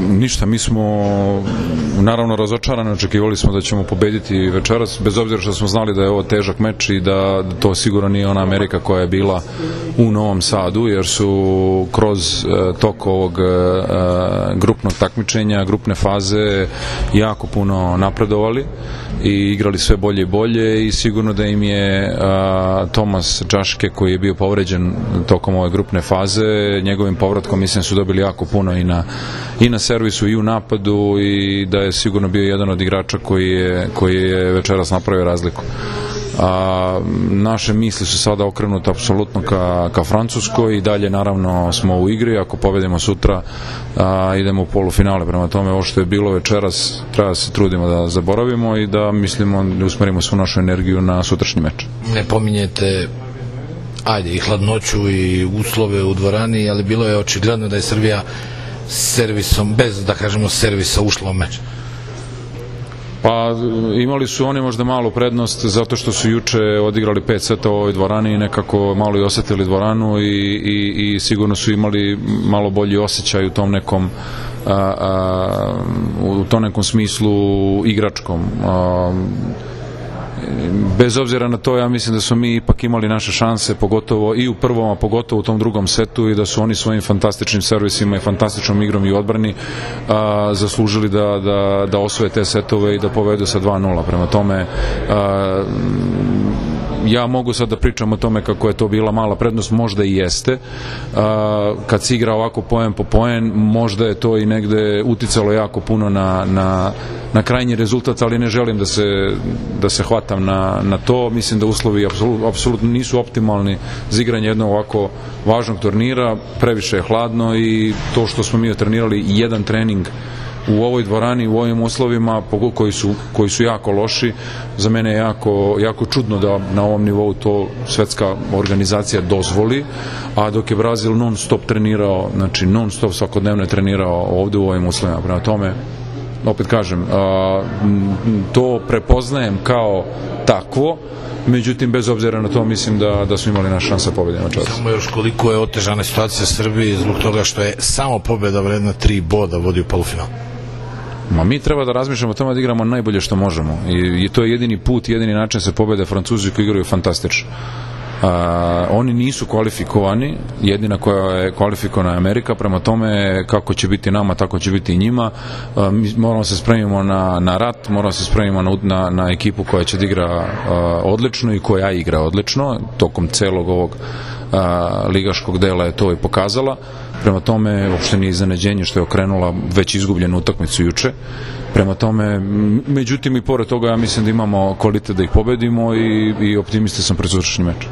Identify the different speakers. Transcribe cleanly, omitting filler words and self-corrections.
Speaker 1: Ništa, mi smo naravno razočarani, očekivali smo da ćemo pobediti večeras, bez obzira što smo znali da je ovo težak meč i da to sigurno nije ona Amerika koja je bila u Novom Sadu, jer su kroz tok ovog grupnog takmičenja, grupne faze jako puno napredovali i igrali sve bolje i bolje i sigurno da im je Tomas Čaške, koji je bio povređen tokom ove grupne faze, njegovim povratkom mislim su dobili jako puno i na servisu i u napadu i da je sigurno bio jedan od igrača koji je večeras napravio razliku. Naše misli su sada okrenute apsolutno ka Francuskoj i dalje naravno smo u igri, ako pobedimo sutra idemo u polufinale, prema tome ovo što je bilo večeras treba da se trudimo da zaboravimo i da mislimo da usmerimo svu našu energiju na sutrašnji meč.
Speaker 2: Ne pominjete i hladnoću i uslove u dvorani, ali bilo je očigledno da je Srbija servisom, bez da kažemo servisa, ušla u meč.
Speaker 1: Pa imali su oni možda malu prednost zato što su juče odigrali 5 seta u ovoj dvorani i nekako malo i osetili dvoranu i sigurno su imali malo bolji osjećaj u tom nekom smislu igračkom. Bez obzira na to, ja mislim da su mi ipak imali naše šanse, pogotovo i u prvom, a pogotovo u tom drugom setu, i da su oni svojim fantastičnim servisima i fantastičnom igrom i odbrani zaslužili da osvoje te setove i da povedu sa 2:0. Prema tome, ja mogu sad da pričam o tome kako je to bila mala prednost, možda i jeste. Kad se igra ovako poen po poen, možda je to i negde uticalo jako puno na krajnji rezultat, ali ne želim da se hvatam na to. Mislim da uslovi apsolutno nisu optimalni za igranje jednog ovako važnog turnira, previše je hladno i to što smo mi trenirali jedan trening u ovoj dvorani, u ovim uslovima koji su jako loši, za mene je jako čudno da na ovom nivou to svetska organizacija dozvoli, a dok je Brazil non stop trenirao, znači non stop svakodnevno je trenirao ovde u ovim uslovima. Prema tome, opet kažem, to prepoznajem kao takvo, međutim, bez obzira na to, mislim da smo imali naš šansa pobjede na čas.
Speaker 2: Samo još koliko je otežana situacija Srbiji zbog toga što je samo pobjeda vredna 3 boda vodi u polufinal.
Speaker 1: Mi treba da razmišljamo o tome da igramo najbolje što možemo i to je jedini put, jedini način se pobede. Francuzi koji igraju fantastično. Oni nisu kvalifikovani, jedina koja je kvalifikovana je Amerika, prema tome kako će biti nama, tako će biti i njima. Moramo se spremimo na rat, moramo se spremimo na ekipu koja će da igra odlično i koja igra odlično, tokom celog ovog ligaškog dela je to i pokazala. Prema tome, uopšte nije iznenađenje što je okrenula već izgubljenu utakmicu juče. Prema tome, međutim i pored toga ja mislim da imamo kvalitet da ih pobedimo i optimista sam pred sutrašnji meč.